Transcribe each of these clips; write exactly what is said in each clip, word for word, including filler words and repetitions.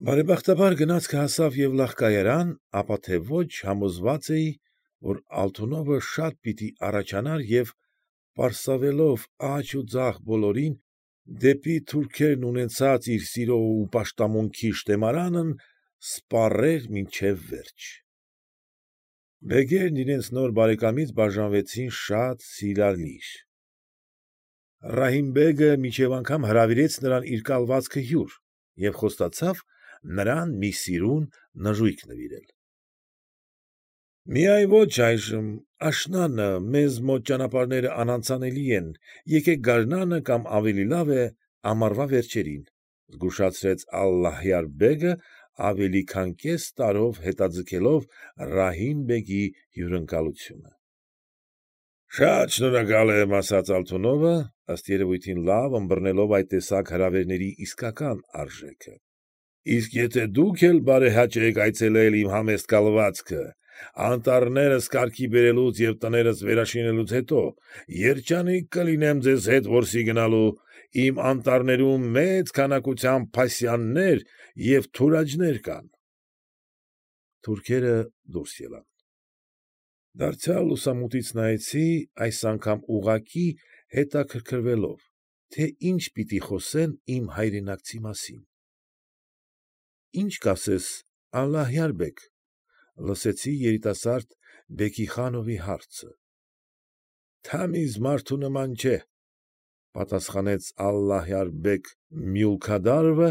Բարեբախտաբար գնացքը հասավ Եվլախ֊կայարան, ապա թե ոչ համոզված էի, որ Ալթունովը շատ պիտի առաջանար և, պարսավելով աջ ու ձախ բոլորին, դեպի թուրքերն ունեցած իր սիրո ու պաշտամունքի շտեմարանն սպառեր մինչև վերջ։ Բեգերն իրենց նոր բարեկամից բաժանվեցին շատ սիրալիր. Ռահիմ֊բեգը մինչև անգամ հրավիրեց նրան իր կալվածքը հյուր և խոստացավ նրան մի սիրուն նժույգ նվիրել։ ֊ Միայն ոչ այժմ, աշնանը, մեզ մոտ ճանապարհները անանցանելի են, եկեք գարնանը կամ ավելի լավ է, ամառվա վերջերին,֊ զգուշացրեց Ալլահյար֊բեգը, ավելի քան կես տարով հետաձգելով Ռահիմ֊բեգի հյուրընկալությունը։ ֊ Շատ շնորհակալ եմ,֊ ասաց Ալթունովը, ըստ երևույթին լավ ըմբռնելով այդ տեսակ հրավերների իսկական արժեքը,֊ իսկ եթե դուք էլ բարեհաճ եք այցելել իմ համեստ կալվածքը, անտառներս կարգի բերելուց և տներս վերաշինելուց հետո, երջանիկ կլինեմ ձեզ հետ որսի գնալու, իմ անտառներում մեծ քանակությամբ փասյաններ և թուրաջներ կան։ Թուրքերը դուրս ելան։ Դարձյալ լուսամուտից նայեցի, այս անգամ ուղղակի հետաքրքրվելով, թե ինչ պիտի խոսեն իմ հայրենակցի մասին։ ֊ Ի՞նչ կասես, Ալլահյար֊բեգ,֊ լսեցի երիտասարդ Բեքիխանովի հարցը։ ֊ Թամիզ մարդու նման չէ,֊ պատասխանեց Ալլահյար֊բեգ մյուլքադարովը։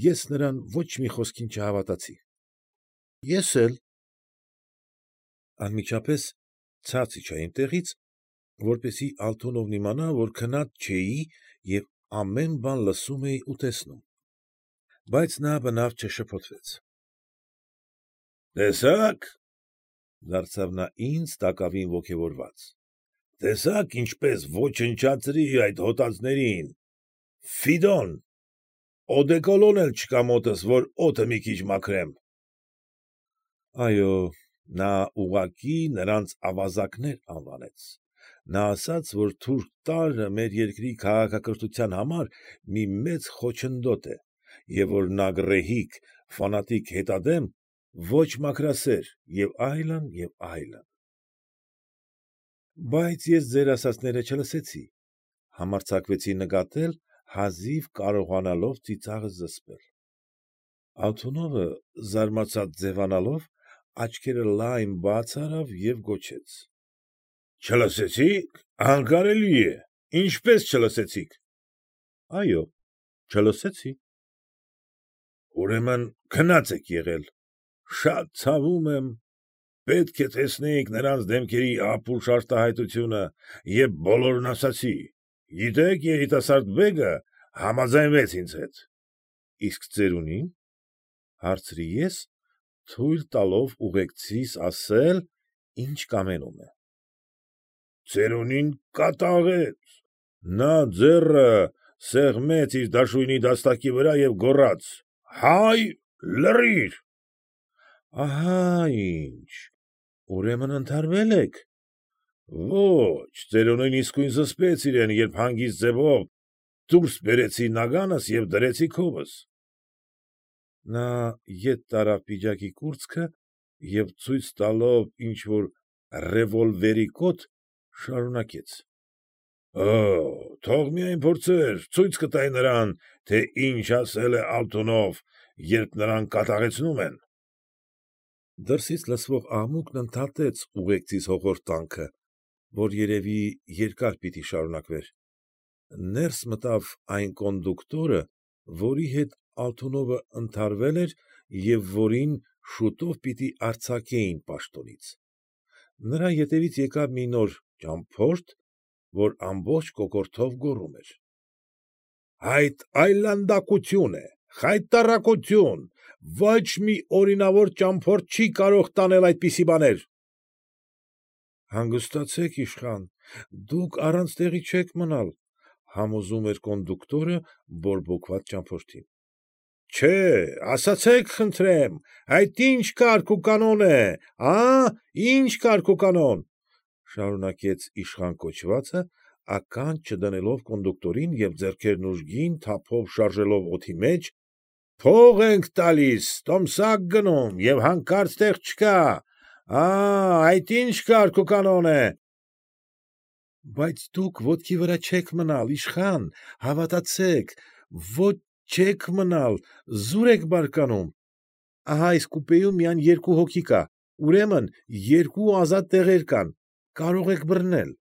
Ես նրան ոչ մի խոսքին չհավատացի։ ֊ Ես էլ… Անմիջապես ցած իջա իմ տեղից, որպեսզի Ալթունովն իմանա, որ քնած չէի և ամեն բան լսում էի ու տեսնում։ Բայց նա բնավ չշփոթվեց։ ֊ Տեսա՞ք,֊ դարձավ նա ինձ, տակավին ոգևորված,֊ տեսա՞ք ինչպես ոչնչացրի այդ հոտածներին… Ֆիդոն, օդեկալոն էլ չկա մոտս, որ օդը մի քիչ մաքրեմ… Այո, նա ուղղակի նրանց ավազակներ անվանեց։ Նա ասաց, որ թուրք տարրը մեր երկրի քաղաքակրթության համար մի մեծ խոչընդոտ է և որ նա գռեհիկ, ֆանատիկ հետադեմ, ոչ մաքրասեր և այլն, և այլն… Բայց ես ձեր ասածները չլսեցի,֊ համարձակվեցի նկատել, հազիվ կարողանալով ծիծաղս զսպել։ Ալթունովը, զարմացած ձևանալով, աչքերը լայն բաց արավ և գոչեց. ֊ Չլսեցի՞ք, անկարելի է, ինչպե՞ս չլսեցիք։ ֊ Այո, չլսեցի։ ֊ Ուրեմն քնած եք եղել… Շատ ցավում եմ… Պետք է տեսնեիք նրանց դեմքերի ապուշ արտահայտությունը, և բոլորն ասացի… Գիտեք, երիտասարդ բեգը համաձայնվեց ինձ հետ։ ֊ Իսկ ծերունի՞ն,֊ հարցրի ես, թույլ տալով ուղեկցիս ասել, ինչ կամենում է։ ֊ Ծերունին կատաղեց… Նա ձեռը սեղմեց իր դաշույնի դաստակի վրա և գոռաց. «Հայ, լռի՛ր»… ֊ Ահա ինչ, ուրեմն ընդհարվե՞լ եք։ ֊ Ոչ, ծերունին իսկույն զսպեց իրեն, երբ հանգիստ ձևով դուրս բերեցի նագանս և դրեցի քովս… Նա ետ տարավ պիջակի կուրծքը և ցույց տալով ինչ֊որ ռևոլվերի կոթ, շարունակեց. ֊ Օօ, թող միայն փորձեր, ցույց կտայի նրան, թե ինչ ասել է Ալթունով, երբ նրան կատաղեցնում են… Դրսից լսվող աղմուկն ընդհատեց ուղեկցիս հոխորտանքը, որ երևի երկար պիտի շարունակվեր… Ներս մտավ այն կոնդուկտորը, որի հետ Ալթունովը ընդհարվել էր և որին շուտով պիտի արձակեին պաշտոնից… Նրա ետևից եկավ մի նոր ճամփորդ, որ ամբողջ կոկորդով գոռում էր. ֊ Այդ այլանդակություն է, խայտառակություն, ոչ մի օրինավոր ճամփորդ չի կարող տանել այդպիսի բաներ… ֊ Հանգստացեք, իշխան, դուք առանց տեղի չեք մնալ,֊ համոզում էր կոնդուկտորը բորբոքված ճամփորդին։ ֊ Չէ՛, ասացեք խնդրեմ, այդ ի՞նչ կարգ ու կանոն է, ա՛, ի՞նչ կարգ ու կանոն,֊ շարունակեց իշխան կոչվածը, ականջ չդնելով կոնդուկտորին և ձեռքերն ուժգին թափով շարժելով օդի մեջ, Փող ենք տալիս, տոմսակ գնում և հանկարծ տեղ չկա, ա՛, այդ ի՞նչ կարգ ու կանոն է։ ֊ Բայց դուք ոտքի վրա չեք մնալ, իշխան, հավատացեք, ոչ չեք մնալ, զուր եք բարկանում, ահա այս կուպեում միայն երկու հոգի կա, ուրեմն երկու ազատ տեղեր կան, կարող եք բռնել։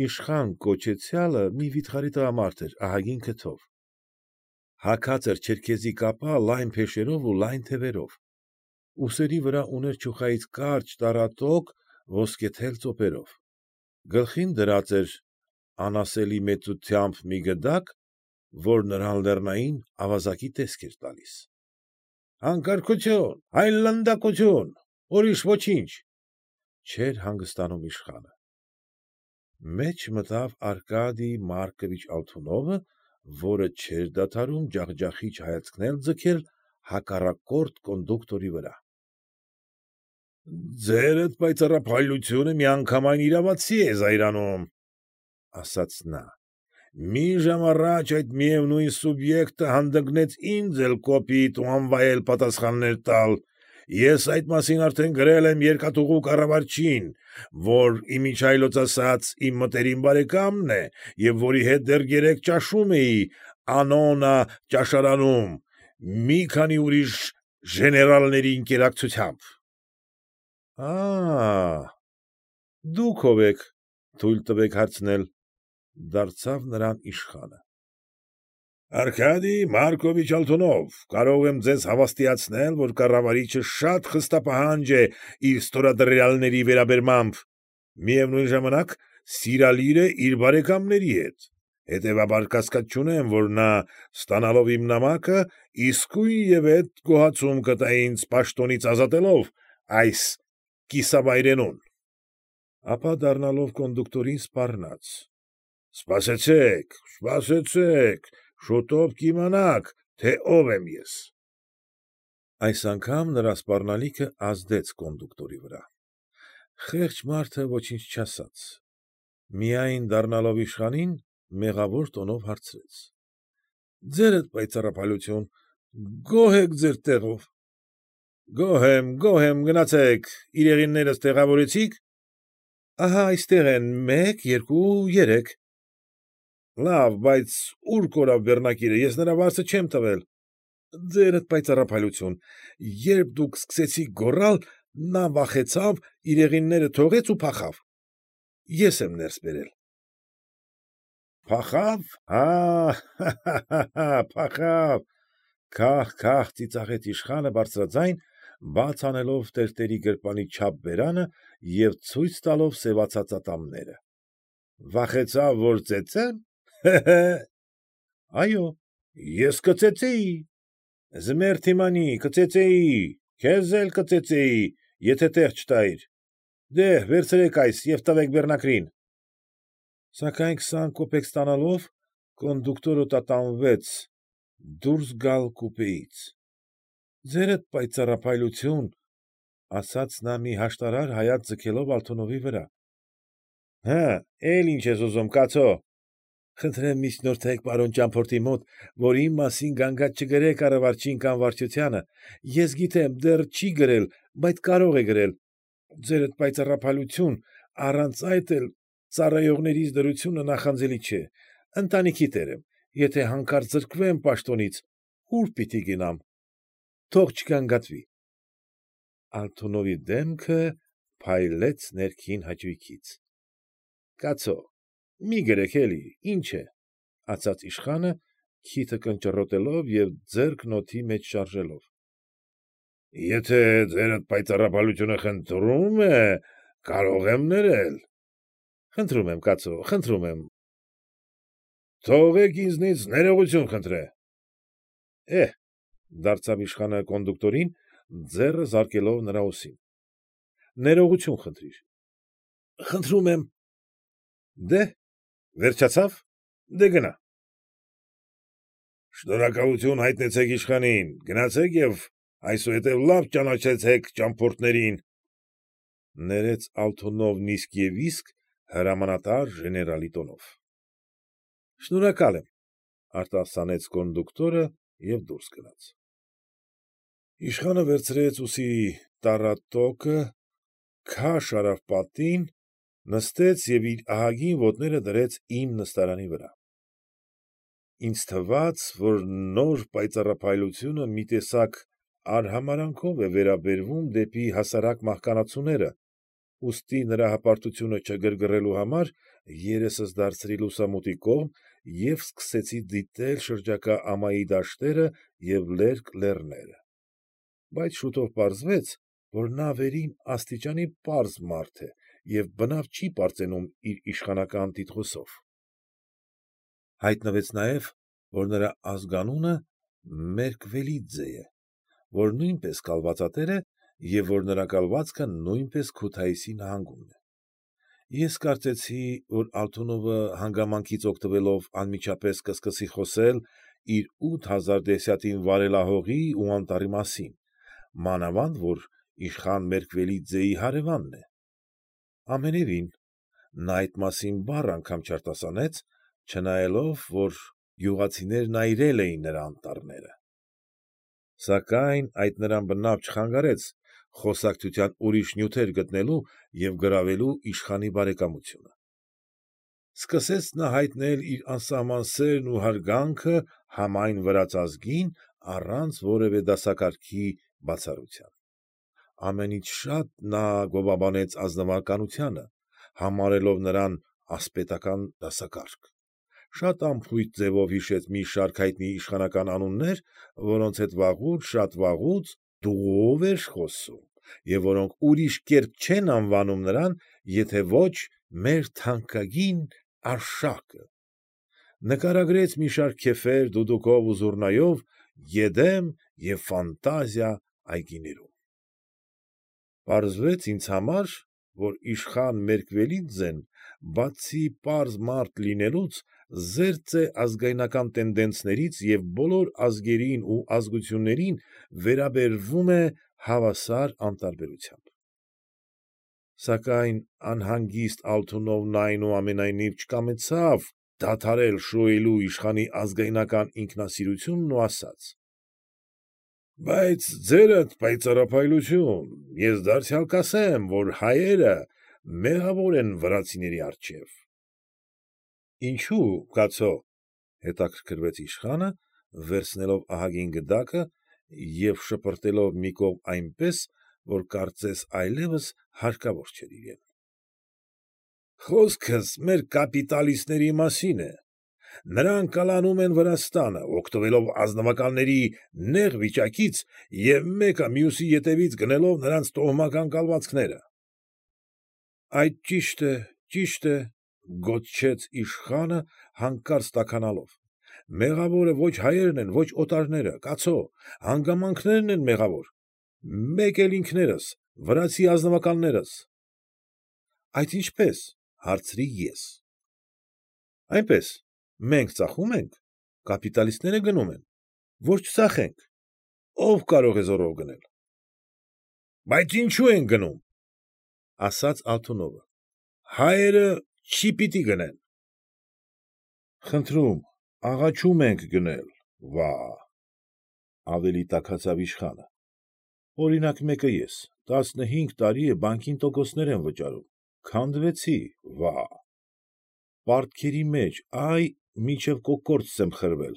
Իշխան կոչեցյալը մի վիթխարի տղամարդ էր ահագին քթով. հագած էր չերքեզի կապա լայն փեշերով ու լայն թևերով, ուսերի վրա ուներ չուխայից կարճ տառատոկ ոսկեթել ծոպերով, գլխին դրած էր անասելի մեծությամբ մի գդակ, որ նրան լեռնային ավազակի տեսք էր տալիս։ ֊ Անկարգությո՛ւն, այլանդակությո՛ւն, ուրիշ ոչինչ, չէր հանգստանում իշխանը։ Մեջ մտավ Արկադիյ Մարկովիչ Ալթունովը, որը չէր դադարում ջախջախիչ հայացքներ ձգել հակառակորդ կոնդուկտորի վրա։ ֊ Ձերդ պայծառափայլությունը միանգամայն իրավացի է զայրանում,֊ ասաց նա,֊ մի ժամ առաջ այդ միևնույն սուբյեկտը հանդգնեց ինձ էլ կոպիտ ու անվայել պատասխաններ տալ, ես այդ մասին արդեն գրել եմ երկաթուղու կառավարչին, որ, իմիջիայլոց ասած, իմ մտերիմ բարեկամն է և որի հետ դեռ երեկ ճաշում էի Անոննա ճաշարանում, մի քանի ուրիշ ժեներալների ընկերակցությամբ։ ֊ Ա՛, դուք ո՞վ եք, թույլ տվեք հարցնել,֊ դարձավ նրան իշխանը։ ֊ Արկադիյ Մարկովիչ Ալթունով, կարող եմ ձեզ հավաստիացնել, որ կառավարիչը շատ խստապահանջ է իր ստորադրյալների վերաբերմամբ, միևնույն ժամանակ սիրալիր է իր բարեկամների հետ, հետևաբար կասկած չունեմ, որ նա, ստանալով իմ նամակը, իսկույնևեթ գոհացում կտա ինձ պաշտոնից ազատելով այս կիսավայրենուն։ Ապա դառնալով կոնդուկտորին, սպառնաց. ֊ Սպասեցեք, սպասեցեք, շուտով կիմանաք, թե ով եմ ես։ Այս անգամ նրա սպառնալիքը ազդեց կոնդուկտորի վրա։ Խեղճ մարդը ոչինչ չասաց, միայն դառնալով իշխանին, մեղավոր տոնով հարցրեց. ֊ Ձերդ պայծառափայլություն, գոհ եք ձեր տեղով։ ֊ Գոհ եմ, գոհ եմ, գնացեք, իրեղեններս տեղավորեցի՞ք։ ֊ Ահա այստեղ են, մեկ, երկու, երեք։ ֊ Լավ, բայց ո՞ւր կորավ բեռնակիրը, ես նրա վարձը չեմ տվել։ ֊ Ձերդ պայծառափայլություն, երբ դուք սկսեցիք գոռալ, նա վախեցավ, իրեղենները թողեց ու փախավ, ես եմ ներս բերել։ ֊ Փախավ, հա՛֊հա՛֊հա՛, փախավ,֊ քահ֊քահ ծիծաղեց իշխանը բարձրաձայն, բաց անելով տերտերի գրպանի չափ բերանը և ցույց տալով սևացած ատամները,֊ վախեցավ, որ ծեծեմ, հե՛֊հե՛։ ֊ Այո, ես կծեծեի, զմերթիմանի, կծեծեի, քեզ էլ կծեծեի, եթե տեղ չտայիր, դեհ, վերցրեք այս և տվեք բեռնակրին։ Սակայն քսան կոպեկ ստանալով, կոնդուկտորը տատանվեց դուրս գալ կուպեից։ ֊ Ձերդ պայծառափայլություն,֊ ասաց նա մի հաշտարար հայացք ձգելով Ալթունովի վրա։ ֊ Հը՛, էլ ի՞նչ ես ուզում, կացո։ ֊ Խնդրեմ միջնորդեք պարոն ճամփորդի մոտ, որ իմ մասին գանգատ չգրե կառավարչին կամ վարչությանը, ես գիտեմ, դեռ չի գրել, բայց կարող է գրել, ձերդ պայծառափայլություն, առանց այդ էլ ծառայողներիս դրությունը նախանձելի չէ, ընտանիքի տեր եմ, եթե հանկարծ զրկվեմ պաշտոնից, ո՞ւր պիտի գնամ, թող չգանգատվի։ Ալթունովի դեմքը փայլեց ներքին հաճույքից։ ֊ Կացո, մի գրեք էլի, ի՞նչ է,֊ ասաց իշխանը, քիթը կնճռոտելով և ձեռքն օդի մեջ շարժելով։ ֊ Եթե ձերդ պայծառափայլությունը խնդրում է, կարող եմ ներել։ ֊ Խնդրում եմ, կացո, խնդրում եմ։ ֊ Թողեք ինձնից ներողություն խնդրե։ ֊ Էհ,֊ դարձավ իշխանը կոնդուկտորին, ձեռը զարկելով նրա ուսին,֊ ներողություն խնդրիր։ ֊ Խնդրում եմ։ ֊ Դեհ, վերջացավ, դե՛ գնա։ ֊ Շնորհակալություն հայտնեցեք իշխանին, գնացեք և այսուհետև լավ ճանաչեցեք ճամփորդներին,֊ ներեց Ալթունովն իսկ և իսկ հրամանատար ժեներալի տոնով։ ֊ Շնորհակալ եմ,֊ արտասանեց կոնդուկտորը և դուրս գնաց։ Իշխանը վերցրեց ուսի տառատոկը, քաշ արավ պատին, նստեց և իր ահագին ոտները դրեց իմ նստարանի վրա։ Ինձ թվաց, որ նոր պայծառափայլությունը մի տեսակ արհամարհանքով է վերաբերվում դեպի հասարակ մահկանացուները, ուստի նրա հպարտությունը չգրգռելու համար երեսս դարձրի լուսամուտի կողմ և սկսեցի դիտել շրջակա ամայի դաշտերը և լերկ լեռները։ Բայց շուտով պարզվեց, որ նա վերին աստիճանի պարզ մարդ է և բնավ չի պարծենում իր իշխանական տիտղոսով։ Հայտնվեց նաև, որ նրա ազգանունը Մերկվելիձե է, որ նույնպես կալվածատեր է և որ նրա կալվածքը նույնպես Քութայիսի նահանգումն է։ Ես կարծեցի, որ Ալթունովը հանգամանքից օգտվելով անմիջապես կսկսի խոսել իր ութ հազար դեսյատին վարելահողի ու անտառի մասին, մանավանդ որ իշխան Մերկվելիձեի հարևանն է։ Ամենևին, նա այդ մասին բառ անգամ չարտասանեց, չնայելով, որ գյուղացիներն այրել էին նրա անտառները։ Սակայն այդ նրան բնավ չխանգարեց խոսակցության ուրիշ նյութեր գտնելու և գրավելու իշխանի բարեկամությունը։ Սկսեց նա հայտնել իր անսահման սերն ու հարգանքը համայն վրաց ազգին առանց որևէ դասակարգի բացառության։ Ամենից շատ նա գովաբանեց ազնվականությանը, համարելով նրան ասպետական դասակարգ, շատ անփույթ ձևով հիշեց մի շարք հայտնի իշխանական անուններ, որոնց հետ վաղուց, շատ վաղուց «դու»֊ով էր խոսում և որոնք ուրիշ կերպ չեն անվանում նրան, եթե ոչ «մեր թանկագին Արշակը», նկարագրեց մի շարք քեֆեր դուդուկով ու զուռնայով Եդեմ և Ֆանտազիա այգիներում։ Պարզվեց ինձ համար, որ իշխան Մերկվելիձեն, բացի պարզ մարդ լինելուց, զերծ է ազգայնական տենդենցներից և բոլոր ազգերին ու ազգություններին վերաբերվում է հավասար անտարբերությամբ։ Սակայն անհանգիստ Ալթունովն այնուամենայնիվ չկամեցավ դադարել շոյել իշխանի ազգայնական ինքնասիրությունն ու ասաց. ֊ Բայց ձերդ պայծառափայլություն, ես դարձյալ կասեմ, որ հայերը մեղավոր են վրացիների առջև։ ֊ Ինչո՞ւ, կացո՛, հետաքրքրվեց իշխանը, վերցնելով ահագին գդակը և շպրտելով մի կողմ այնպես, որ կարծես այլևս հարկավոր չէր իրեն։ ֊ Խոսքս մեր կապիտալիստների մասին է։ Նրանք կլանում են Վրաստանը, օգտվելով ազնվականների նեղ վիճակից և մեկը մյուսի ետևից գնելով նրանց տոհմական կալվածքները։ ֊ Այդ ճիշտ է, ճիշտ է,֊ գոչեց իշխանը, հանկարծ տաքանալով,֊ մեղավորը ոչ հայերն են, ոչ օտարները, կացո՛, հանգամանքներն են մեղավոր, մեկ էլ ինքներս, վրացի ազնվականներս։ ֊ Այդ ինչպե՞ս,֊ հարցրի ես։ ֊ Այնպես, մենք ծախում ենք, կապիտալիստները գնում են, որ չծախենք, ո՞վ կարող է զոռով գնել։ ֊ Բայց ինչո՞ւ են գնում,֊ ասաց Ալթունովը,֊ հայերը չի պիտի գնեն։ ֊ Խնդրում, աղաչում ենք գնել, վա՜, ավելի տաքացավ իշխանը,֊ օրինակ մեկը ես, տասնհինգ տարի է բանկին տոկոսներ եմ վճարում, քանդվեցի, վա՜, պարտքերի մեջ, ա՛յ, մինչև կոկորդս եմ խրվել,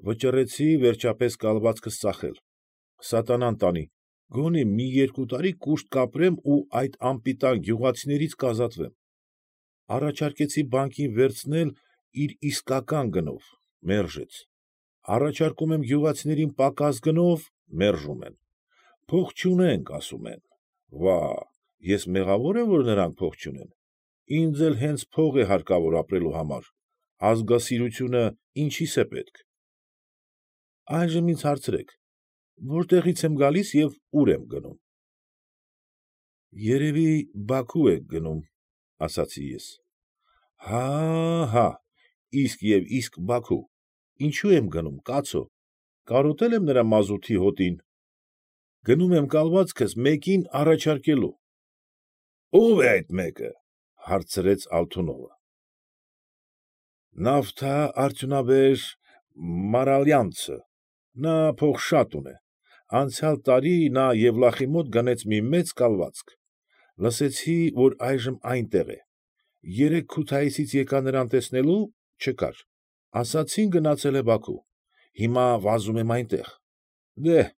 վճռեցի վերջապես կալվածքս ծախել, սատանան տանի, գոնե մի երկու տարի կուշտ կապրեմ ու այդ անպիտան գյուղացիներից կազատվեմ։ Առաջարկեցի բանկին վերցնել իր իսկական գնով, մերժեց, առաջարկում եմ գյուղացիներին պակաս գնով, մերժում են, փող չունենք, ասում են, վա՜, ես մեղավո՞ր եմ, որ նրանք փող չունեն, ինձ էլ հենց փող է հարկավոր ապրելու համար, ազգասիրությունը ինչի՞ս է պետք։ Այժմ ինձ հարցրեք, որտեղից եմ գալիս և ուր եմ գնում։ ֊ Երևի Բաքու եք գնում,֊ ասացի ես։ ֊ Հա՛֊հա՛, իսկ և իսկ Բաքու, ինչո՞ւ եմ գնում, կացո, կարոտե՞լ եմ նրա մազութի հոտին։ ֊ Գնում եմ կալվածքս մեկին առաջարկելու։ ֊ Ո՞վ է այդ մեկը,֊ հարցրեց Ալթունովը։ ֊ Նավթա֊արդյունաբեր Մարալյանցը, Նա փող շատ ունե, անցյալ տարի նա Եվլախի մոտ գնեց մի մեծ կալվածք, լսեցի, որ այժմ այնտեղ է, երեկ Քութայիսից եկա նրան տեսնելու ֊ չկար, ասացին գնացել է Բաքու, հիմա վազում եմ այնտեղ, դե՛հ,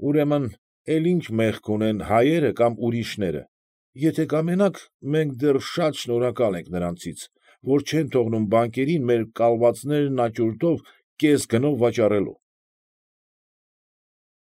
ուրեմն, էլ ի՞նչ մեղք ունեն հայերը կամ ուրիշները, եթե կամենաք, մենք դեռ շատ շնորհակալ ենք նրանցից, որ չեն թողնում բանկերին մեր կալվածներն աճուրդով կես գնով վաճառելու։